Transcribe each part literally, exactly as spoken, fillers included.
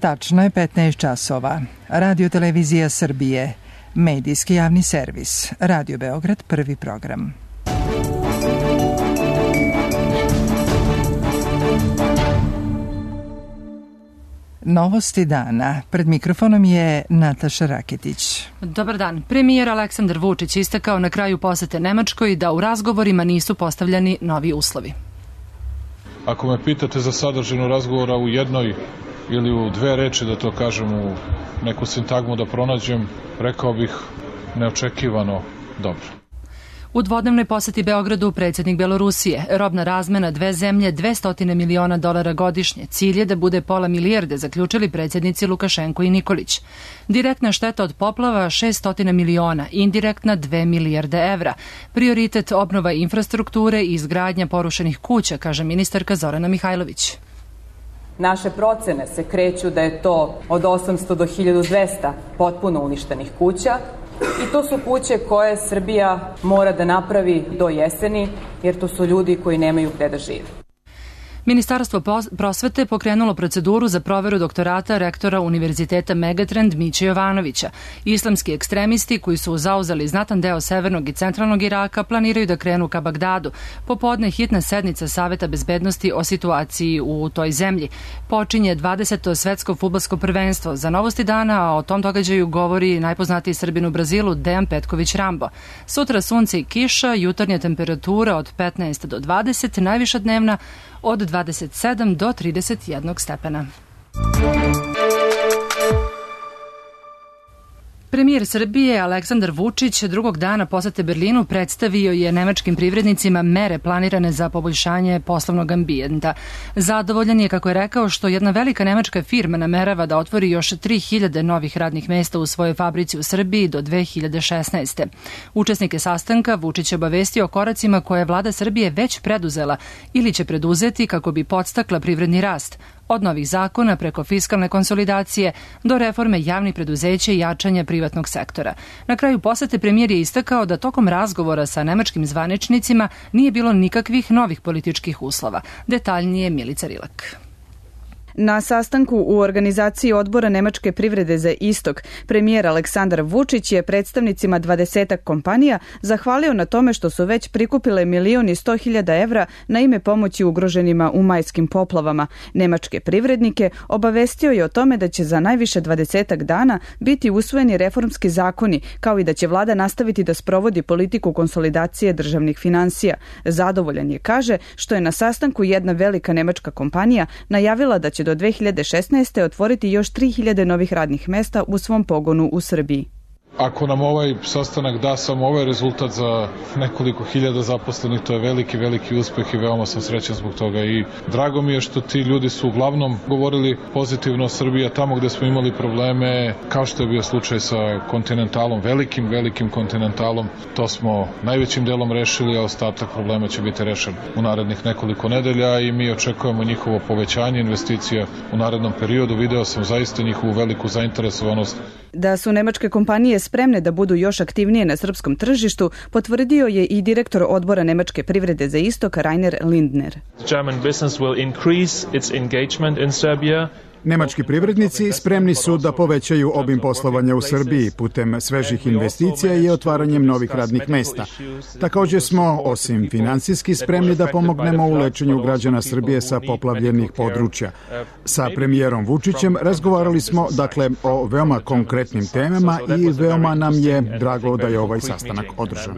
Tačno je petnaest časova. Radio Televizija Srbije, medijski javni servis, Radio Beograd, prvi program. Novosti dana. Pred mikrofonom je Nataša Raketić. Dobar dan. Premijer Aleksandar Vučić istakao na kraju posete Nemačkoj da u razgovorima nisu postavljani novi uslovi. Ako me pitate za sadržinu razgovora u jednoj ili u dve reči, da to kažem, u neku sintagmu da pronađem, rekao bih neočekivano dobro. U dvodnevnoj poseti Beogradu predsjednik Belorusije, robna razmena dve zemlje dvesta miliona dolara godišnje, cilj je da bude pola milijarde, zaključili predsjednici Lukašenko i Nikolić. Direktna šteta od poplava šest miliona, indirektna dve milijarde evra. Prioritet obnova infrastrukture i izgradnja porušenih kuća, kaže ministarka Zorana Mihajlović. Naše procene se kreću da je to od osamsto do hiljadu dvesta potpuno uništenih kuća i to su kuće koje Srbija mora da napravi do jeseni, jer to su ljudi koji nemaju gde da žive. Ministarstvo prosvete pokrenulo proceduru za proveru doktorata rektora Univerziteta Megatrend Miće Jovanovića. Islamski ekstremisti koji su zauzeli znatan deo severnog i centralnog Iraka planiraju da krenu ka Bagdadu. Popodne hitna sednica Saveta bezbednosti o situaciji u toj zemlji. Počinje dvadeseto svetsko fudbalsko prvenstvo. Za Novosti dana, a o tom događaju govori najpoznatiji Srbin u Brazilu Dejan Petković Rambo. Sutra sunce i kiša, jutarnja temperatura od petnaest do dvadeset, najviša dnevna od dvadeset sedam do trideset jedan stepena. Premijer Srbije Aleksandar Vučić drugog dana posete Berlinu predstavio je nemačkim privrednicima mere planirane za poboljšanje poslovnog ambijenta. Zadovoljan je, kako je rekao, što jedna velika nemačka firma namerava da otvori još tri hiljade novih radnih mesta u svojoj fabrici u Srbiji do dve hiljade šesnaeste. Učesnike sastanka Vučić je obavestio o koracima koje je vlada Srbije već preduzela ili će preduzeti kako bi podstakla privredni rast. Od novih zakona preko fiskalne konsolidacije do reforme javnih preduzeća i jačanja privatnog sektora. Na kraju posete premijer je istakao da tokom razgovora sa nemačkim zvaničnicima nije bilo nikakvih novih političkih uslova. Detaljnije Milica Rilak. Na sastanku u organizaciji Odbora Nemačke privrede za istok, premijer Aleksandar Vučić je predstavnicima dvadesetak kompanija zahvalio na tome što su već prikupile milion i sto hiljada evra na ime pomoći ugroženima u majskim poplavama. Nemačke privrednike obavestio je o tome da će za najviše dvadesetak dana biti usvojeni reformski zakoni, kao i da će vlada nastaviti da sprovodi politiku konsolidacije državnih finansija. Zadovoljan je, kaže, što je na sastanku jedna velika nemačka kompanija najavila da će do dve hiljade šesnaeste. otvoriti još tri hiljade novih radnih mesta u svom pogonu u Srbiji. Ako nam ovaj sastanak da samo ovaj rezultat za nekoliko hiljada zaposlenih, to je veliki, veliki uspeh i veoma sam srećan zbog toga. I drago mi je što ti ljudi su uglavnom govorili pozitivno o Srbiji, a tamo gde smo imali probleme, kao što je bio slučaj sa Kontinentalom, velikim, velikim Kontinentalom, to smo najvećim delom rešili, a ostatak problema će biti rešen u narednih nekoliko nedelja i mi očekujemo njihovo povećanje investicija u narednom periodu. Video sam zaista njihovu veliku zainteresovanost. Da su nemačke kompanije spremne da budu još aktivnije na srpskom tržištu, potvrdio je i direktor Odbora Nemačke privrede za istok Rainer Lindner. German business will increase its engagement in Serbia. Nemački privrednici spremni su da povećaju obim poslovanja u Srbiji putem svežih investicija i otvaranjem novih radnih mesta. Također smo, osim finansijski, spremni da pomognemo u lečenju građana Srbije sa poplavljenih područja. Sa premijerom Vučićem razgovarali smo, dakle, o veoma konkretnim temama i veoma nam je drago da je ovaj sastanak održan.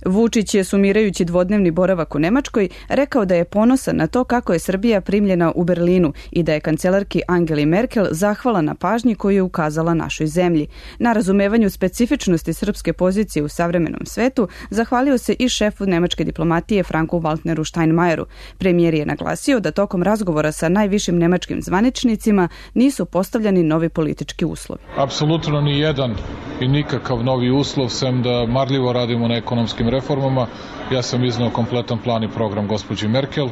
Vučić je, sumirajući dvodnevni boravak u Nemačkoj, rekao da je ponosan na to kako je Srbija primljena u Berlinu i da je kancelarki Angeli Merkel zahvala na pažnji koju je ukazala našoj zemlji. Na razumevanju specifičnosti srpske pozicije u savremenom svetu zahvalio se i šefu nemačke diplomatije Franku Walteru Steinmeieru. Premijer je naglasio da tokom razgovora sa najvišim nemačkim zvaničnicima nisu postavljani novi politički uslovi. Apsolutno ni jedan i nikakav novi uslov, sem da marljivo radimo na ekonomskim reformama. Ja sam iznao kompletan plan i program gospođi Merkel,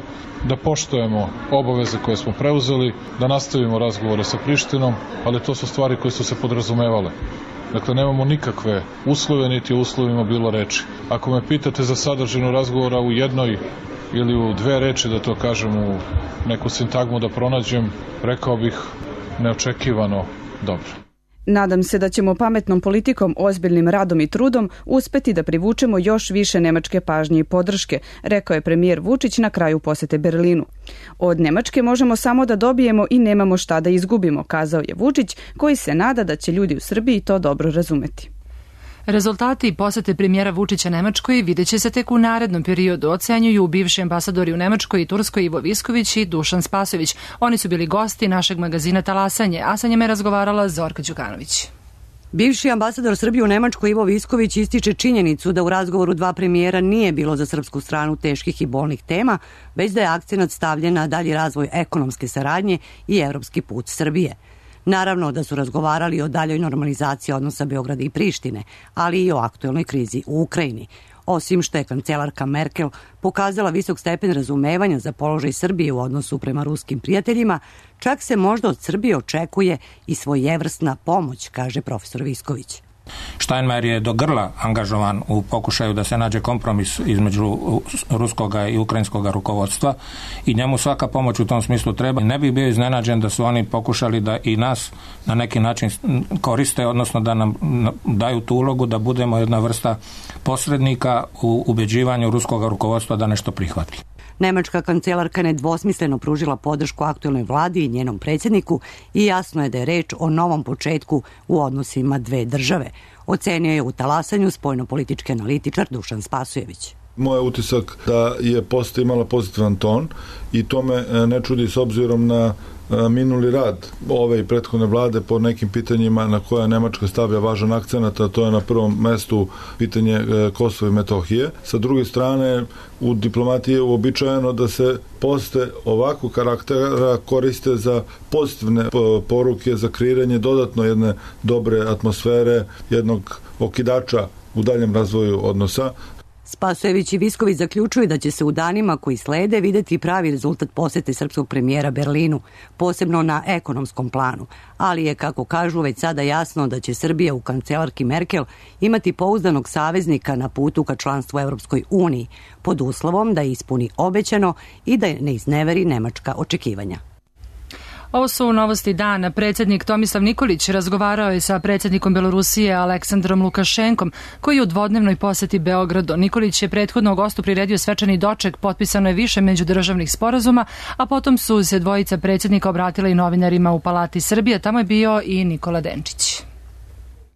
da poštujemo obaveze koje smo preuzeli, da nastavimo razgovore sa Prištinom, ali to su stvari koje su se podrazumevale. Dakle, nemamo nikakve uslove, niti o uslovima bilo reči. Ako me pitate za sadržinu razgovora u jednoj ili u dve reči da to kažem, u neku sintagmu da pronađem, rekao bih neočekivano dobro. Nadam se da ćemo pametnom politikom, ozbiljnim radom i trudom uspeti da privučemo još više nemačke pažnje i podrške, rekao je premijer Vučić na kraju posete Berlinu. Od Nemačke možemo samo da dobijemo i nemamo šta da izgubimo, kazao je Vučić, koji se nada da će ljudi u Srbiji to dobro razumeti. Rezultati posete premijera Vučića Nemačkoj vidjet će se tek u narednom periodu, ocenjuju bivši ambasadori u Nemačkoj i Turskoj Ivo Visković i Dušan Spasojević. Oni su bili gosti našeg magazina Talasanje, a sa njima je razgovarala Zorka Đukanović. Bivši ambasador Srbije u Nemačkoj Ivo Visković ističe činjenicu da u razgovoru dva premijera nije bilo za srpsku stranu teških i bolnih tema, već da je akcenat stavljen na dalji razvoj ekonomske saradnje i evropski put Srbije. Naravno da su razgovarali o daljoj normalizaciji odnosa Beograda i Prištine, ali i o aktuelnoj krizi u Ukrajini. Osim što je kancelarka Merkel pokazala visok stepen razumevanja za položaj Srbije u odnosu prema ruskim prijateljima, čak se možda od Srbije očekuje i svojevrsna pomoć, kaže profesor Visković. Steinmeier je do grla angažovan u pokušaju da se nađe kompromis između ruskog i ukrajinskog rukovodstva i njemu svaka pomoć u tom smislu treba. Ne bih bio iznenađen da su oni pokušali da i nas na neki način koriste, odnosno da nam daju tu ulogu da budemo jedna vrsta posrednika u ubeđivanju ruskog rukovodstva da nešto prihvati. Nemačka kancelarka nedvosmisleno pružila podršku aktuelnoj vladi i njenom predsjedniku i jasno je da je reč o novom početku u odnosima dve države. Ocenio je u Talasanju spoljnopolitički analitičar Dušan Spasojević. Moj utisak da je posta imala pozitivan ton i to me ne čudi s obzirom na minuli rad ove i prethodne vlade po nekim pitanjima na koja Nemačka stavlja važan akcenat, a to je na prvom mestu pitanje Kosova i Metohije. Sa druge strane, u diplomatiji je uobičajeno da se poste ovakvog karaktera koriste za pozitivne poruke, za kreiranje dodatno jedne dobre atmosfere, jednog okidača u daljem razvoju odnosa. Spasojević i Visković zaključuju da će se u danima koji slede videti pravi rezultat posete srpskog premijera Berlinu, posebno na ekonomskom planu, ali je, kako kažu, već sada jasno da će Srbija u kancelarki Merkel imati pouzdanog saveznika na putu ka članstvu u Evropskoj uniji, pod uslovom da ispuni obećano i da ne izneveri nemačka očekivanja. Ovo su novosti dana. Predsjednik Tomislav Nikolić razgovarao je sa predsjednikom Belorusije Aleksandrom Lukašenkom, koji je u dvodnevnoj poseti Beogradu. Nikolić je prethodno gostu priredio svečani doček, potpisano je više međudržavnih sporazuma, a potom su se dvojica predsjednika obratila i novinarima u Palati Srbije. Tamo je bio i Nikola Denčić.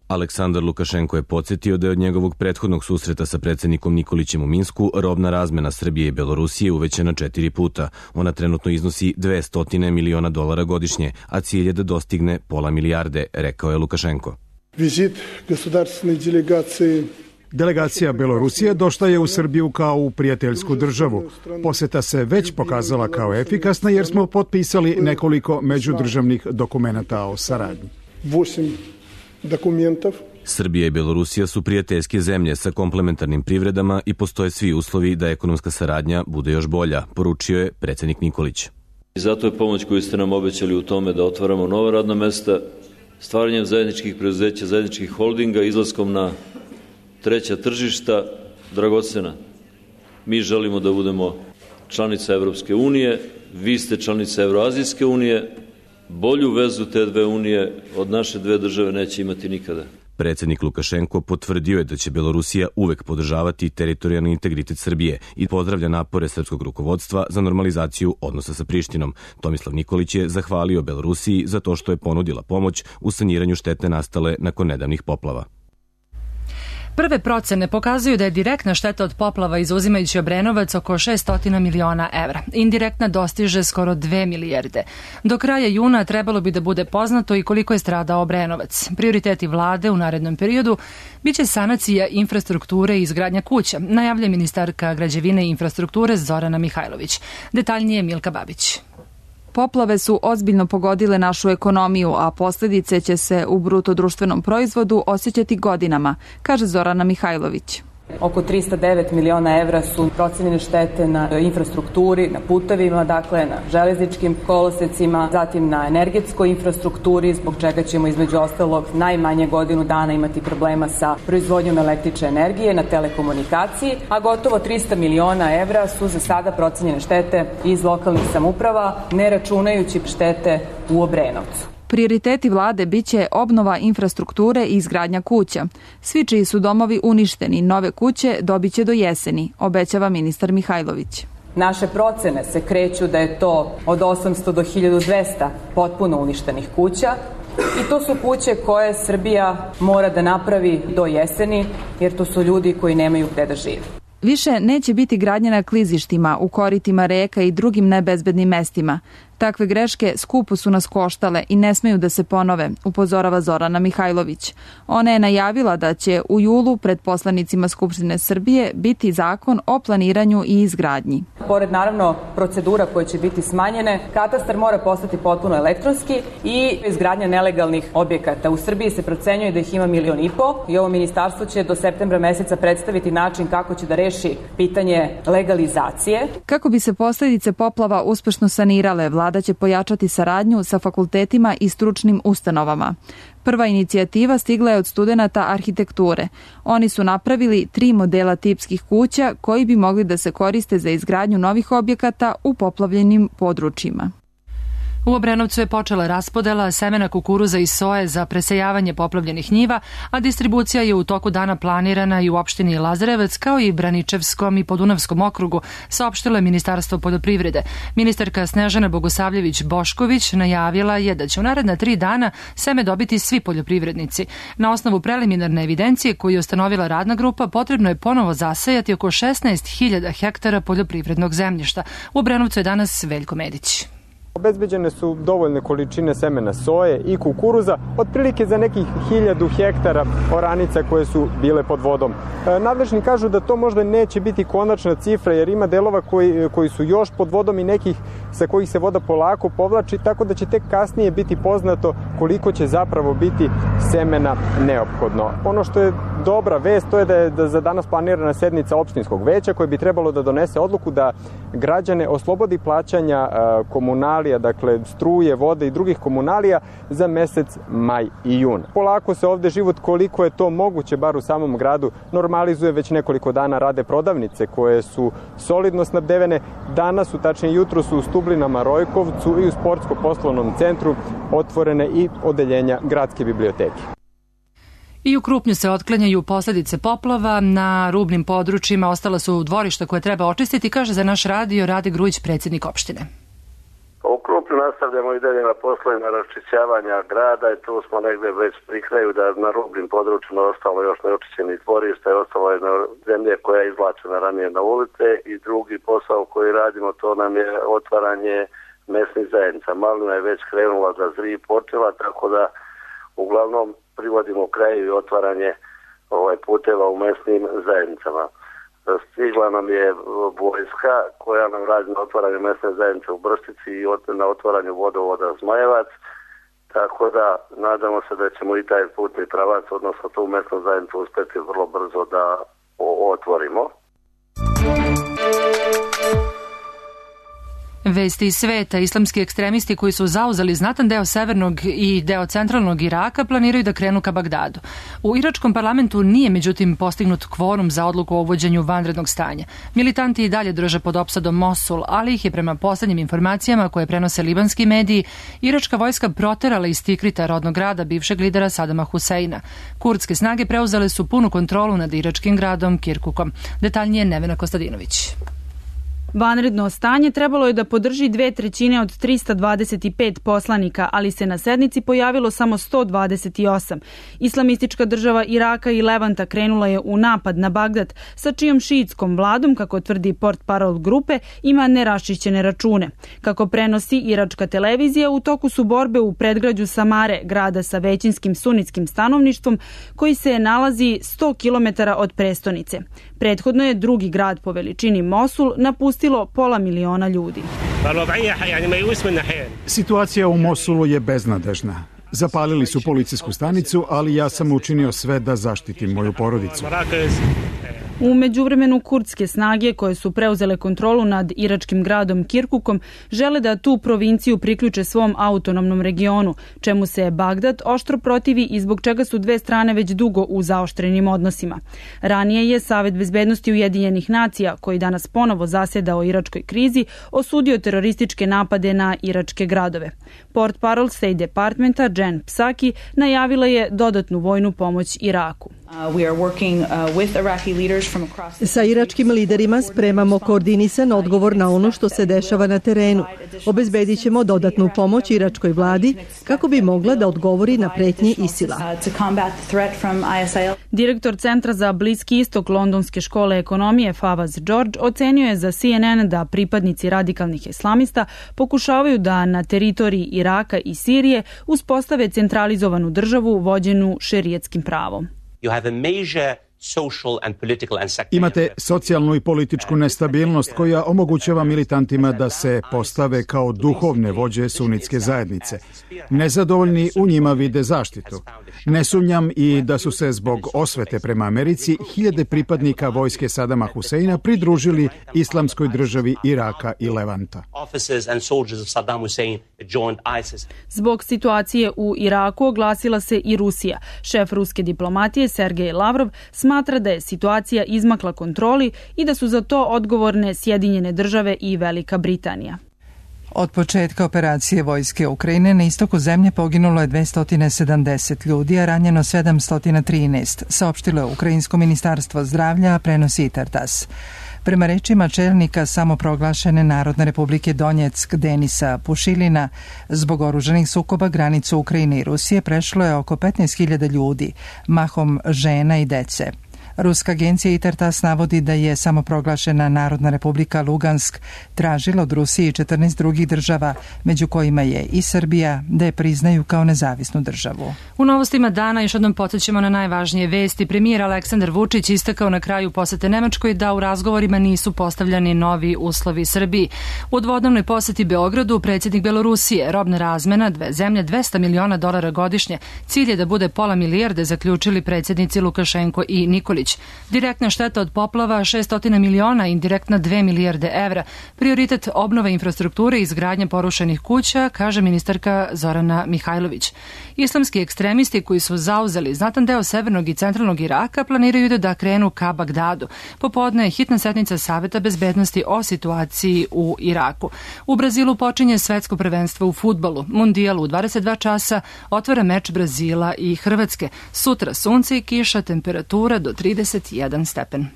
Aleksandar Lukašenko je podsjetio da je od njegovog prethodnog susreta sa predsjednikom Nikolićem u Minsku robna razmena Srbije i Belorusije uvećana četiri puta. Ona trenutno iznosi dvesta miliona dolara godišnje, a cilj je da dostigne pola milijarde, rekao je Lukašenko. Vizit государственной делегации Delegacija Belorusije došla je u Srbiju kao u prijateljsku državu. Poseta se već pokazala kao efikasna jer smo potpisali nekoliko međudržavnih dokumenata o saradnji. Dokumentov. Srbija i Belorusija su prijateljske zemlje sa komplementarnim privredama i postoje svi uslovi da ekonomska saradnja bude još bolja, poručio je predsjednik Nikolić. I zato je pomoć koju ste nam obećali u tome da otvaramo nova radna mesta, stvaranjem zajedničkih preduzeća, zajedničkih holdinga, izlaskom na treća tržišta, dragocena. Mi želimo da budemo članica Evropske unije, vi ste članica Evroazijske unije, bolju vezu te dve unije od naše dve države neće imati nikada. Predsjednik Lukašenko potvrdio je da će Belorusija uvek podržavati teritorijalni integritet Srbije i pozdravlja napore srpskog rukovodstva za normalizaciju odnosa sa Prištinom. Tomislav Nikolić je zahvalio Belorusiji za to što je ponudila pomoć u saniranju štete nastale nakon nedavnih poplava. Prve procene pokazuju da je direktna šteta od poplava izuzimajući Obrenovac oko šessto miliona evra. Indirektna dostiže skoro dve milijarde. Do kraja juna trebalo bi da bude poznato i koliko je stradao Obrenovac. Prioriteti vlade u narednom periodu biće sanacija infrastrukture i izgradnja kuća, najavlja ministarka građevine i infrastrukture Zorana Mihajlović. Detaljnije Milka Babić. Poplave su ozbiljno pogodile našu ekonomiju, a posljedice će se u bruto društvenom proizvodu osjećati godinama, kaže Zorana Mihajlović. Oko trista devet miliona evra su procenjene štete na infrastrukturi, na putevima, dakle na železničkim kolosecima, zatim na energetskoj infrastrukturi, zbog čega ćemo između ostalog najmanje godinu dana imati problema sa proizvodnjom električne energije, na telekomunikaciji, a gotovo trista miliona evra su za sada procenjene štete iz lokalnih samouprava, ne računajući štete u Obrenovcu. Prioriteti vlade biće obnova infrastrukture i izgradnja kuća. Svi čiji su domovi uništeni, nove kuće dobiće do jeseni, obećava ministar Mihajlović. Naše procene se kreću da je to od osamsto do hiljadu dvesta potpuno uništenih kuća i to su kuće koje Srbija mora da napravi do jeseni, jer to su ljudi koji nemaju gde da žive. Više neće biti gradnje na klizištima, u koritima reka i drugim nebezbednim mestima. Takve greške skupo su nas koštale i ne smeju da se ponove, upozorava Zorana Mihajlović. Ona je najavila da će u julu pred poslanicima Skupštine Srbije biti zakon o planiranju i izgradnji. Pored naravno procedura koje će biti smanjene, katastar mora postati potpuno elektronski i izgradnja nelegalnih objekata. U Srbiji se procenjuje da ih ima milion i po i ovo ministarstvo će do septembra meseca predstaviti način kako će da reši pitanje legalizacije. Kako bi se posljedice poplava uspešno sanirale, vlada će pojačati saradnju sa fakultetima i stručnim ustanovama. Prva inicijativa stigla je od studenata arhitekture. Oni su napravili tri modela tipskih kuća koji bi mogli da se koriste za izgradnju novih objekata u poplavljenim područjima. U Obrenovcu je počela raspodela semena kukuruza i soje za presejavanje poplavljenih njiva, a distribucija je u toku dana planirana i u opštini Lazarevac kao i Braničevskom i Podunavskom okrugu, saopštilo je Ministarstvo poljoprivrede. Ministarka Snežana Bogosavljević-Bošković najavila je da će u naredna tri dana seme dobiti svi poljoprivrednici. Na osnovu preliminarne evidencije koju je ustanovila radna grupa, potrebno je ponovo zasejati oko šesnaest hiljada hektara poljoprivrednog zemljišta. U Obrenovcu je danas Veljko Medić. Obezbeđene su dovoljne količine semena soje i kukuruza, otprilike za nekih hiljadu hektara oranica koje su bile pod vodom. E, nadležni kažu da to možda neće biti konačna cifra, jer ima delova koji, koji su još pod vodom i nekih sa kojih se voda polako povlači, tako da će tek kasnije biti poznato koliko će zapravo biti semena neophodno. Ono što je dobra vest, to je da je da za danas planirana sednica opštinskog veća koje bi trebalo da donese odluku da građane oslobodi plaćanja komunalija, dakle struje, vode i drugih komunalija za mesec maj i jun. Polako se ovde život, koliko je to moguće, bar u samom gradu, normalizuje. Već nekoliko dana rade prodavnice koje su solidno snabdevene. Danas su, tačnije jutro su u Stublinama, Rojkovcu i u sportsko-poslovnom centru otvorene i odeljenja gradske biblioteke. I u Krupnju se otklanjaju posljedice poplava. Na rubnim područjima ostala su dvorišta koje treba očistiti, kaže za naš radio Rade Grujić, predsjednik opštine. U Krupnju nastavljamo i dalje na poslovima raščišćavanja grada i tu smo negde već pri kraju da na rubnim područjima ostalo još neočišćenih dvorišta i ostalo je na zemlje koja je izvlačena ranije na ulice i drugi posao koji radimo, to nam je otvaranje mesnih zajednica. Malina je već krenula da zri i počela, tako da uglavnom privodimo kraju i otvaranje ovaj, puteva u mesnim zajednicama. Stigla nam je vojska koja nam radi na otvaranju mesne zajednice u Brstici i na otvaranju vodovoda Zmajevac, tako da nadamo se da ćemo i taj putni pravac, odnosno tu mesnu zajednicu uspeti vrlo brzo da otvorimo. Vesti iz sveta. Islamski ekstremisti koji su zauzeli znatan deo severnog i deo centralnog Iraka planiraju da krenu ka Bagdadu. U iračkom parlamentu nije međutim postignut kvorum za odluku o uvođenju vanrednog stanja. Militanti i dalje drže pod opsadom Mosul, ali ih je prema poslednjim informacijama koje prenose libanski mediji iračka vojska proterala iz Tikrita, rodnog grada bivšeg lidera Sadama Huseina. Kurdske snage preuzele su punu kontrolu nad iračkim gradom Kirkukom. Detaljnije Nevena Kostadinović. Vanredno stanje trebalo je da podrži dve trećine od trista dvadeset pet poslanika, ali se na sednici pojavilo samo sto dvadeset osam. Islamistička država Iraka i Levanta krenula je u napad na Bagdad, sa čijom šiitskom vladom, kako tvrdi portparol grupe, ima neraščišćene račune. Kako prenosi iračka televizija, u toku su borbe u predgrađu Samare, grada sa većinskim sunitskim stanovništvom, koji se nalazi sto kilometara od prestonice. Prethodno je drugi grad po veličini Mosul napustilo pola miliona ljudi. Situacija u Mosulu je beznadežna. Zapalili su policijsku stanicu, ali ja sam učinio sve da zaštitim moju porodicu. U međuvremenu kurdske snage koje su preuzele kontrolu nad iračkim gradom Kirkukom žele da tu provinciju priključe svom autonomnom regionu, čemu se Bagdad oštro protivi i zbog čega su dve strane već dugo u zaoštrenim odnosima. Ranije je Savet bezbednosti Ujedinjenih nacija, koji danas ponovo zaseda o iračkoj krizi, osudio terorističke napade na iračke gradove. Portparol State Departmenta Jen Psaki najavila je dodatnu vojnu pomoć Iraku. Sa iračkim liderima spremamo koordinisan odgovor na ono što se dešava na terenu. Obezbedit ćemo dodatnu pomoć iračkoj vladi kako bi mogla da odgovori na pretnje ISIL-a. Direktor Centra za Bliski istok Londonske škole ekonomije Fawaz George ocenio je za C N N da pripadnici radikalnih islamista pokušavaju da na teritoriji Iraka i Sirije uspostave centralizovanu državu vođenu šerijetskim pravom. Imate socijalnu i političku nestabilnost koja omogućava militantima da se postave kao duhovne vođe sunitske zajednice. Nezadovoljni u njima vide zaštitu. Ne sumnjam i da su se zbog osvete prema Americi hiljade pripadnika vojske Sadama Huseina pridružili islamskoj državi Iraka i Levanta. Zbog situacije u Iraku oglasila se i Rusija. Šef ruske diplomatije Sergej Lavrov smatra da je situacija izmakla kontroli i da su za to odgovorne Sjedinjene države i Velika Britanija. Od početka operacije vojske Ukrajine na istoku zemlje poginulo je dvesta sedamdeset ljudi, a ranjeno sedamsto trinaest, saopštilo je Ukrajinsko ministarstvo zdravlja, a prenosi i Tartas. Prema rečima čelnika samoproglašene Narodne republike Donjeck Denisa Pušilina, zbog oružanih sukoba granicu Ukrajine i Rusije prešlo je oko petnaest hiljada ljudi, mahom žena i dece. Ruska agencija Itartas navodi da je samoproglašena Narodna republika Lugansk tražila od Rusije i četrnaest drugih država, među kojima je i Srbija, da je priznaju kao nezavisnu državu. U novostima dana još jednom podsjećamo na najvažnije vesti. Premijer Aleksandar Vučić istakao na kraju posete Nemačkoj da u razgovorima nisu postavljani novi uslovi Srbiji. U dvodnevnoj poseti Beogradu predsjednik Belorusije, robna razmena dve zemlje dvesta miliona dolara godišnje. Cilj je da bude pola milijarde, zaključili predsjednici Lukašenko i Nikolić. Direktna šteta od poplava šesto miliona, indirektna dve milijarde evra. Prioritet obnove infrastrukture i izgradnje porušenih kuća, kaže ministarka Zorana Mihajlović. Islamski ekstremisti koji su zauzeli znatan deo severnog i centralnog Iraka planiraju da krenu ka Bagdadu. Popodne je hitna sednica Saveta bezbednosti o situaciji u Iraku. U Brazilu počinje svetsko prvenstvo u fudbalu. Mundijal u dvadeset dva časa otvara meč Brazila i Hrvatske. Sutra sunce i kiša, temperatura do trideset jedan stepen.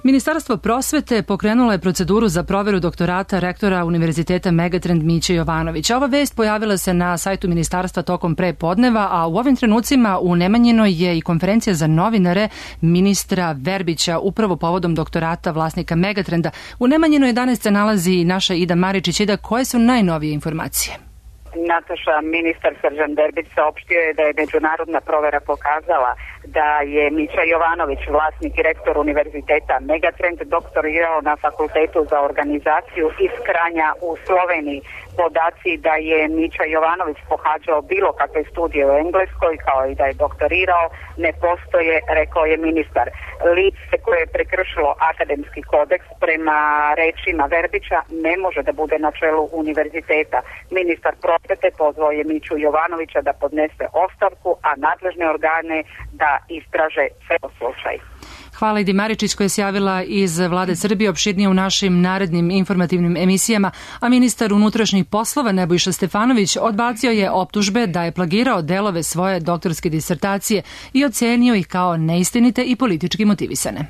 Ministarstvo prosvete pokrenulo je proceduru za proveru doktorata rektora Univerziteta Megatrend Miće Jovanovića. Ova vest pojavila se na sajtu ministarstva tokom pre podneva, a u ovim trenucima u Nemanjinoj je i konferencija za novinare ministra Verbića upravo povodom doktorata vlasnika Megatrenda. U Nemanjinoj danas se nalazi naša Ida Maričić. Ida, koje su najnovije informacije? Nataša, ministar Srđan Verbić saopštio je da je međunarodna provera pokazala da je Mića Jovanović, vlasnik i rektor Univerziteta Megatrend, doktorirao na Fakultetu za organizaciju iz Kranja u Sloveniji. Podaci da je Mića Jovanović pohađao bilo kakve studije u Engleskoj, kao i da je doktorirao, ne postoje, rekao je ministar. Lice koje je prekršilo akademski kodeks prema rečima Verbića ne može da bude na čelu univerziteta. Ministar prosvete pozvao je Miću Jovanovića da podnese ostavku, a nadležne organe da istraže ceo slučaj. Hvala Idi Maričić koja se javila iz Vlade Srbije, opširnije u našim narednim informativnim emisijama, a ministar unutrašnjih poslova Nebojša Stefanović odbacio je optužbe da je plagirao delove svoje doktorske disertacije i ocenio ih kao neistinite i politički motivisane.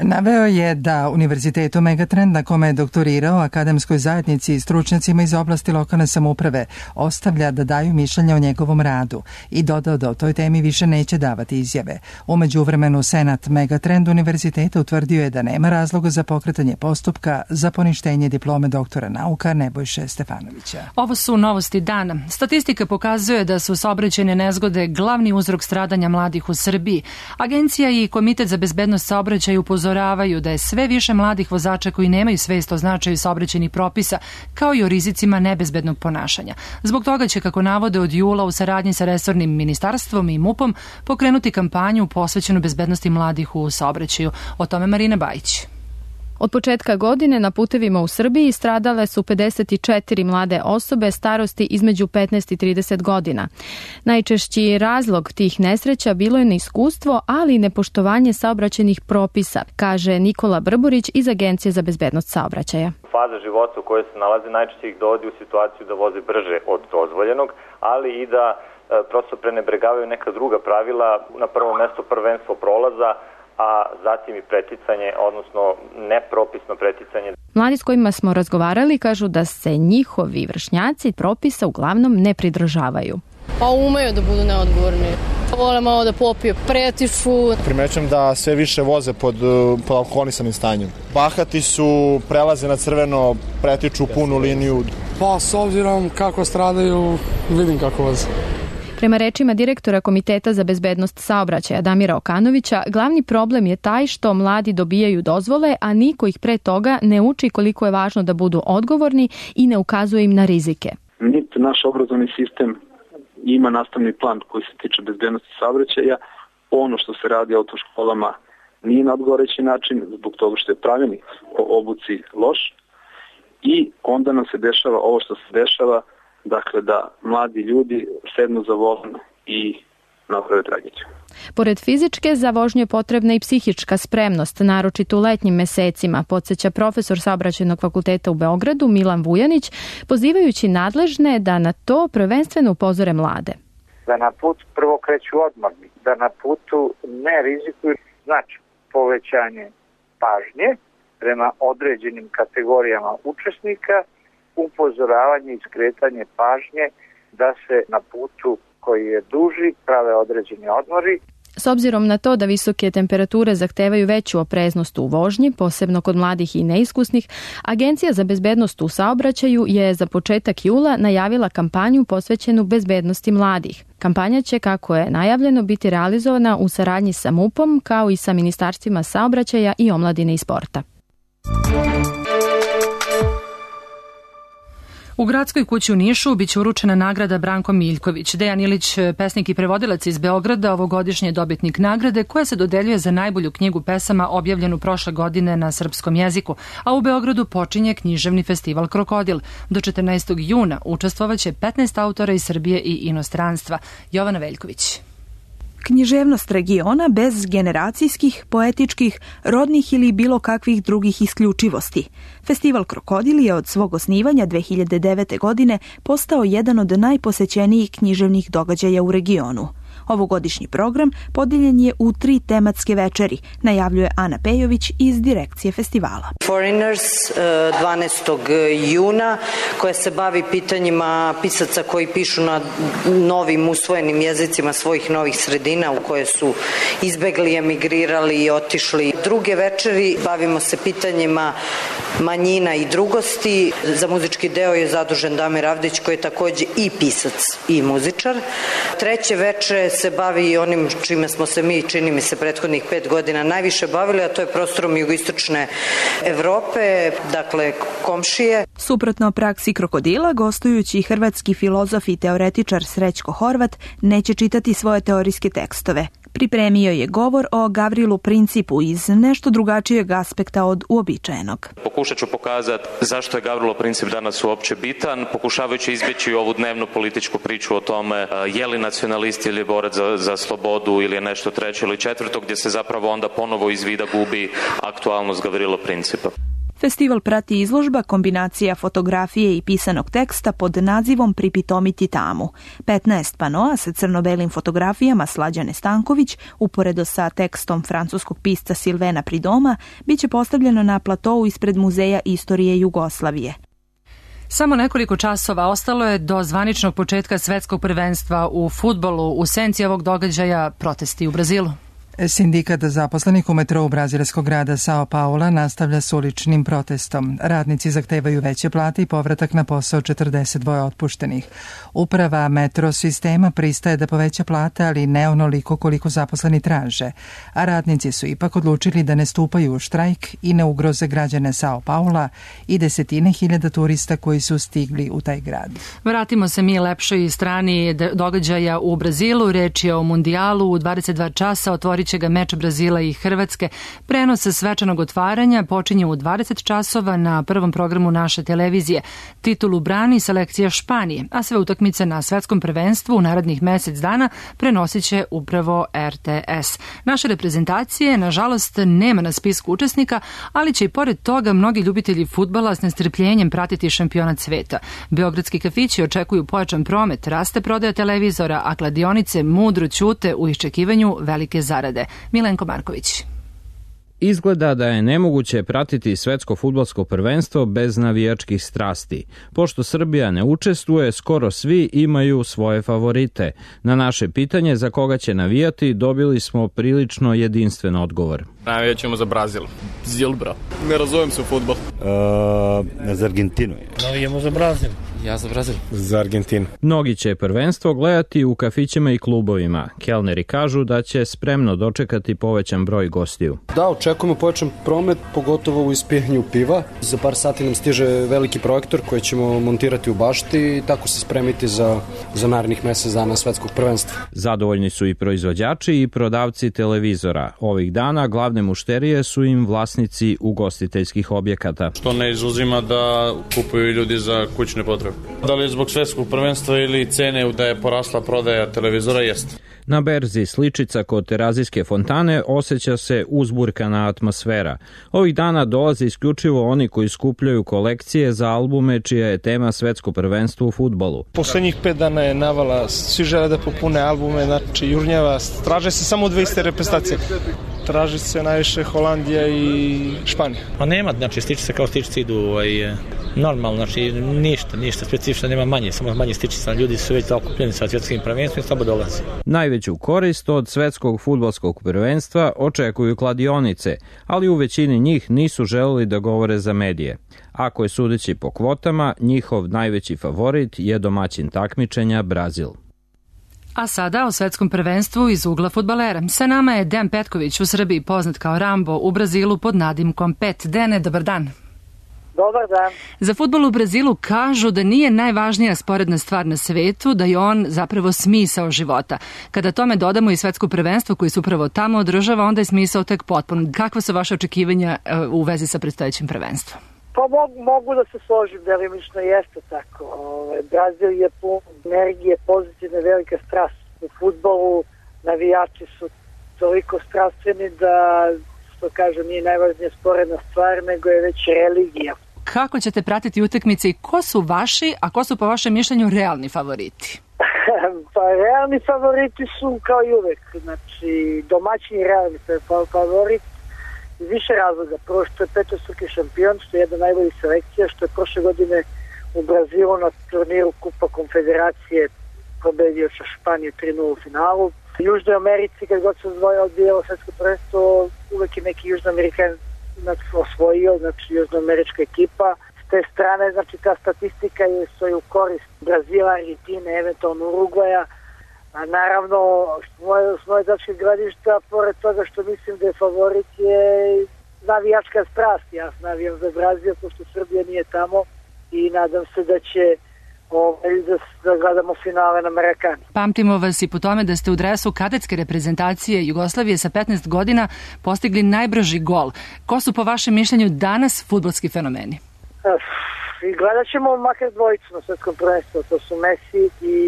Naveo je da Univerzitetu Megatrend, na kome je doktorirao, akademskoj zajednici i stručnjacima iz oblasti lokalne samouprave ostavlja da daju mišljenja o njegovom radu i dodao da o toj temi više neće davati izjave. Umeđu vremenu Senat Megatrend univerziteta utvrdio je da nema razloga za pokretanje postupka za poništenje diplome doktora nauka Nebojše Stefanovića. Ovo su novosti dana. Statistika pokazuje da su saobraćajne nezgode glavni uzrok stradanja mladih u Srbiji. Agencija i Komitet za bezbednost saobraćaja upozoravaju upozoravaju da je sve više mladih vozača koji nemaju svest o značaju saobraćajnih propisa, kao i o rizicima nebezbednog ponašanja. Zbog toga će, kako navode, od jula u saradnji sa resornim ministarstvom i MUP-om pokrenuti kampanju posvećenu bezbednosti mladih u saobraćaju. O tome Marina Bajić. Od početka godine na putevima u Srbiji stradale su pedeset četiri mlade osobe starosti između petnaest i trideset godina. Najčešći razlog tih nesreća bilo je neiskustvo, ali i nepoštovanje saobraćajnih propisa, kaže Nikola Brburić iz Agencije za bezbednost saobraćaja. Faza života u kojoj se nalaze najčešće ih dovodi u situaciju da voze brže od dozvoljenog, ali i da e, prosto prenebregavaju neka druga pravila, na prvo mesto prvenstvo prolaza, a zatim i preticanje, odnosno nepropisno preticanje. Mladi s kojima smo razgovarali kažu da se njihovi vršnjaci propisa uglavnom ne pridržavaju. Pa umeju da budu neodgovorni. Vole malo da popiju, pretiču. Primećujem da sve više voze pod, pod alkoholisanim stanjem. Bahati su, prelaze na crveno, pretiču punu liniju. Pa s obzirom kako stradaju, vidim kako voze. Prema rečima direktora Komiteta za bezbednost saobraćaja Damira Okanovića, glavni problem je taj što mladi dobijaju dozvole, a niko ih pre toga ne uči koliko je važno da budu odgovorni i ne ukazuje im na rizike. Niti naš obrazovni sistem ima nastavni plan koji se tiče bezbednosti saobraćaja. Ono što se radi u autoškolama nije na odgovarajući način zbog toga što je pravilnik o obuci loš i onda nam se dešava ovo što se dešava. Dakle, da mladi ljudi sednu za volan i naprave tragediju. Pored fizičke, za vožnju je potrebna i psihička spremnost, naročito u letnjim mesecima, podsjeća profesor Saobraćajnog fakulteta u Beogradu Milan Vujanić, pozivajući nadležne da na to prvenstveno upozore mlade. Da na put prvo kreću odmorni, da na putu ne rizikuju, znači povećanje pažnje prema određenim kategorijama učesnika, upozoravanje i skretanje pažnje da se na putu koji je duži prave određeni odmori. S obzirom na to da visoke temperature zahtevaju veću opreznost u vožnji, posebno kod mladih i neiskusnih, Agencija za bezbednost u saobraćaju je za početak jula najavila kampanju posvećenu bezbednosti mladih. Kampanja će, kako je najavljeno, biti realizovana u saradnji sa MUP-om, kao i sa ministarstvima saobraćaja i omladine i sporta. U Gradskoj kući u Nišu biće uručena nagrada Branko Miljković. Dejan Ilić, pesnik i prevodilac iz Beograda, ovogodišnji je dobitnik nagrade koja se dodeljuje za najbolju knjigu pesama objavljenu prošle godine na srpskom jeziku, a u Beogradu počinje književni festival Krokodil. Do četrnaestog juna učestvovaće petnaest autora iz Srbije i inostranstva. Jovana Veljković. Književnost regiona bez generacijskih, poetičkih, rodnih ili bilo kakvih drugih isključivosti. Festival Krokodil je od svog osnivanja dve hiljade devete. godine postao jedan od najposećenijih književnih događaja u regionu. Ovogodišnji program podijeljen je u tri tematske večeri, najavljuje Ana Pejović iz direkcije festivala. Foreigners dvanaestog juna, koja se bavi pitanjima pisaca koji pišu na novim usvojenim jezicima svojih novih sredina u koje su izbegli, emigrirali i otišli. Druge večeri bavimo se pitanjima manjina i drugosti. Za muzički deo je zadužen Damir Avdić, koji je takođe i pisac i muzičar. Treće veče se bavi i onim čime smo se mi, čini mi se, prethodnih pet godina najviše bavili, a to je prostorom jugoistočne Evrope, dakle komšije. Suprotno praksi Krokodila, gostujući hrvatski filozof i teoretičar Srećko Horvat neće čitati svoje teorijske tekstove. Pripremio je govor o Gavrilu Principu iz nešto drugačijeg aspekta od uobičajenog. Pokušat ću pokazati zašto je Gavrilo Princip danas uopće bitan, pokušavajući izbjeći ovu dnevnu političku priču o tome je li nacionalist ili je borac za, za slobodu ili je nešto treće ili četvrto, gdje se zapravo onda ponovo iz vida gubi aktualnost Gavrilo Principa. Festival prati izložba kombinacija fotografije i pisanog teksta pod nazivom Pripitomiti tamu. petnaest panoa sa crno-belim fotografijama Slađane Stanković, uporedo sa tekstom francuskog pisca Silvena Pridoma, biće postavljeno na platou ispred Muzeja istorije Jugoslavije. Samo nekoliko časova ostalo je do zvaničnog početka svetskog prvenstva u fudbalu. U senci ovog događaja protesti u Brazilu. Sindikat zaposlenih u metrou brazilskog grada São Paula nastavlja s uličnim protestom. Radnici zahtevaju veće plate i povratak na posao četrdeset dva otpuštenih. Uprava metro sistema pristaje da poveća plate, ali ne onoliko koliko zaposleni traže. A radnici su ipak odlučili da ne stupaju u štrajk i ne ugroze građane São Paula i desetine hiljada turista koji su stigli u taj grad. Vratimo se mi lepšoj strani događaja u Brazilu. Reč je o mundijalu. U dvadeset dva časa otvorit će ga meč Brazila i Hrvatske. Prenos svečanog otvaranja počinje u dvadeset časova na prvom programu naše televizije. Titulu brani selekcija Španije, a sve utakmice na svetskom prvenstvu u narednih mesec dana prenosit će upravo R T S. Naše reprezentacije, nažalost, nema na spisku učesnika, ali će i pored toga mnogi ljubitelji fudbala s nestrpljenjem pratiti šampionat sveta. Beogradski kafići očekuju pojačan promet, raste prodaja televizora, a kladionice mudro ćute u iščekivanju velike zarade. Milenko Marković. Izgleda da je nemoguće pratiti svetsko fudbalsko prvenstvo bez navijačkih strasti. Pošto Srbija ne učestvuje, skoro svi imaju svoje favorite. Na naše pitanje za koga će navijati dobili smo prilično jedinstven odgovor. Navijat ćemo za Brazil. Zil, bro. Ne razumem se u fudbal. Uh, za Argentinu. Navijemo za Brazil. Ja za Brazil. Za Argentinu. Mnogi će prvenstvo gledati u kafićima i klubovima. Kelneri kažu da će spremno dočekati povećan broj gostiju. Da, očekujemo povećan promet, pogotovo u ispijanju piva. Za par sati nam stiže veliki projektor koji ćemo montirati u bašti i tako se spremiti za, za narednih mesec dana svetskog prvenstva. Zadovoljni su i proizvođači i prodavci televizora. Ovih dana glavne mušterije su im vlasnici ugostiteljskih objekata. Što ne izuzima da kupuju ljudi za kućne potrebe. Da li je zbog svetskog prvenstva ili cene da je porasla prodaja televizora, jeste. Na berzi Sličica kod Terazijske fontane osjeća se uzburkana atmosfera. Ovih dana dolaze isključivo oni koji skupljaju kolekcije za albume čija je tema svetsko prvenstvo u fudbalu. Poslednjih pet dana je navala, svi žele da popune albume, znači jurnjava, traže se samo dve iste reprezentacije. Traži se najviše Holandija i Španija. Pa nema, znači stičice kao stičice idu ovaj, normalno, znači ništa, ništa specifično, nema manje, samo manje stičice, ljudi su već zakupljeni sa svjetskim prvenstvom i slabo dolazi. Najveću korist od svetskog fudbalskog prvenstva očekuju kladionice, ali u većini njih nisu želeli da govore za medije. Ako je sudeći po kvotama, njihov najveći favorit je domaćin takmičenja Brazil. A sada o svetskom prvenstvu iz ugla fudbalera. Sa nama je Dejan Petković, u Srbiji poznat kao Rambo, u Brazilu pod nadimkom Pet. Dene, dobar dan. Dobar dan. Za fudbal u Brazilu kažu da nije najvažnija sporedna stvar na svetu, da je on zapravo smisao života. Kada tome dodamo i svetsko prvenstvo koji se upravo tamo održava, onda je smisao tek potpun. Kakva su vaše očekivanja u vezi sa predstojećim prvenstvom? Pa mogu, mogu da se složim, delimično jeste tako. Ove, Brazil je pun energije, pozitivne, velika strast u fudbalu. Navijači su toliko strastveni da, što kažem, nije najvažnija sporedna stvar, nego je već religija. Kako ćete pratiti utakmice i ko su vaši, a ko su po vašem mišljenju realni favoriti? Pa realni favoriti su kao i uvek. Znači, domaćini realni favorit. Iz više razloga. Prvo što je petostruki šampion, što je jedna najboljih selekcija, što je prošle godine u Brazilu na turniru Kupa Konfederacije pobedio sa Španiju tri nula u finalu. U Južnoj Americi, kad god se odvojao odbijalo svetsko prvenstvo, uvek je neki Južnoamerikan osvojio, znači južnoamerička ekipa. S te strane, znači ta statistika je stoji u korist Brazila, Argentine, eventualno Urugvaja. A naravno, s moje dačke gledišta, pored toga što mislim da je favorit je navijačka strast. Ja navijam za Brazil, pošto Srbija nije tamo i nadam se da će ovaj, da, da gledamo finale na Marakani. Pamtimo vas i po tome da ste u dresu kadetske reprezentacije Jugoslavije sa petnaest godina postigli najbrži gol. Ko su po vašem mišljenju danas fudbalski fenomeni? I gledat ćemo makar dvojicu na svetskom prvenstvu, to su Messi i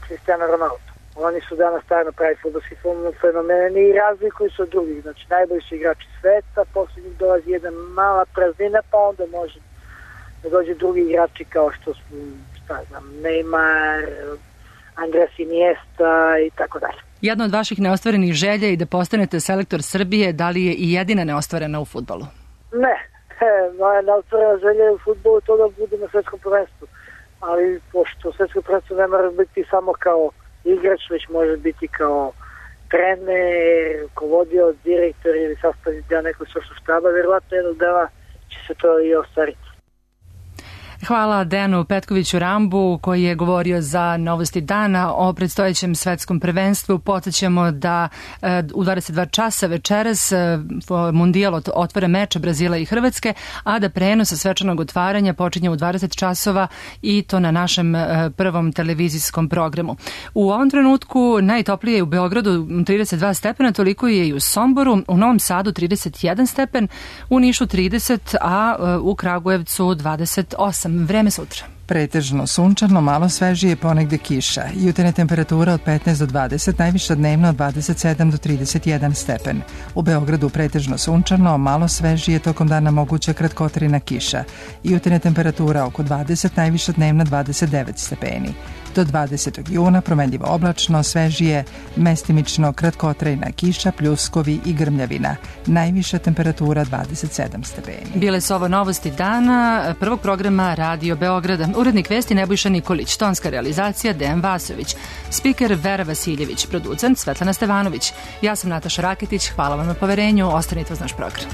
Cristiano Ronaldo. Oni su danas stvarno pravi fudbalski fenomeni i razlikuju se od drugih. Znači, najbolji su igrači sveta, posle njih dolazi jedna mala praznina, pa onda može da dođe drugi igrači kao što su, šta znam, Neymar, Andres Iniesta i tako dalje. Jedna od vaših neostvarenih želja je da postanete selektor Srbije, da li je i jedina neostvarena u fudbalu? Ne. Moja neostvarena želja je u fudbalu to da bude na svetskom prvenstvu. Ali pošto svetsko prvenstvo ne mora biti samo kao igrač, već može biti kao trener, rukovodio, direktor ili sastavni deo nekog stručnog štaba, verovatno jednog dana će se to i ostvariti. Hvala Dejanu Petkoviću Rambu koji je govorio za Novosti dana o predstojećem svetskom prvenstvu. Podsećamo da u dvadeset dva časa večeras Mundijal otvara meč Brazila i Hrvatske, a da prenos svečanog otvaranja počinje u dvadeset časova i to na našem prvom televizijskom programu. U ovom trenutku najtoplije je u Beogradu trideset dva stepena, toliko je i u Somboru, u Novom Sadu trideset jedan stepen, u Nišu trideset, a u Kragujevcu dvadeset osam. Vreme sutra. Pretežno sunčano, malo svežije, ponegde kiša. Jutarnja temperatura od petnaest do dvadeset, najviša dnevna od dvadeset sedam do trideset jedan stepen. U Beogradu pretežno sunčano, malo svežije, tokom dana moguća kratkotrajna kiša. Jutarnja temperatura oko dvadeset, najviša dnevna dvadeset devet stepeni. Do dvadesetog juna promenljivo oblačno, svežije, mestimično kratkotrajna kiša, pljuskovi i grmljavina. Najviša temperatura dvadeset sedam stepeni. Bile su ovo Novosti dana prvog programa Radio Beograda. Urednik vesti Nebojša Nikolić, tonska realizacija Dejan Vasović, spiker Vera Vasiljević, producent Svetlana Stevanović. Ja sam Nataša Raketić, hvala vam na poverenju, ostanite uz naš program.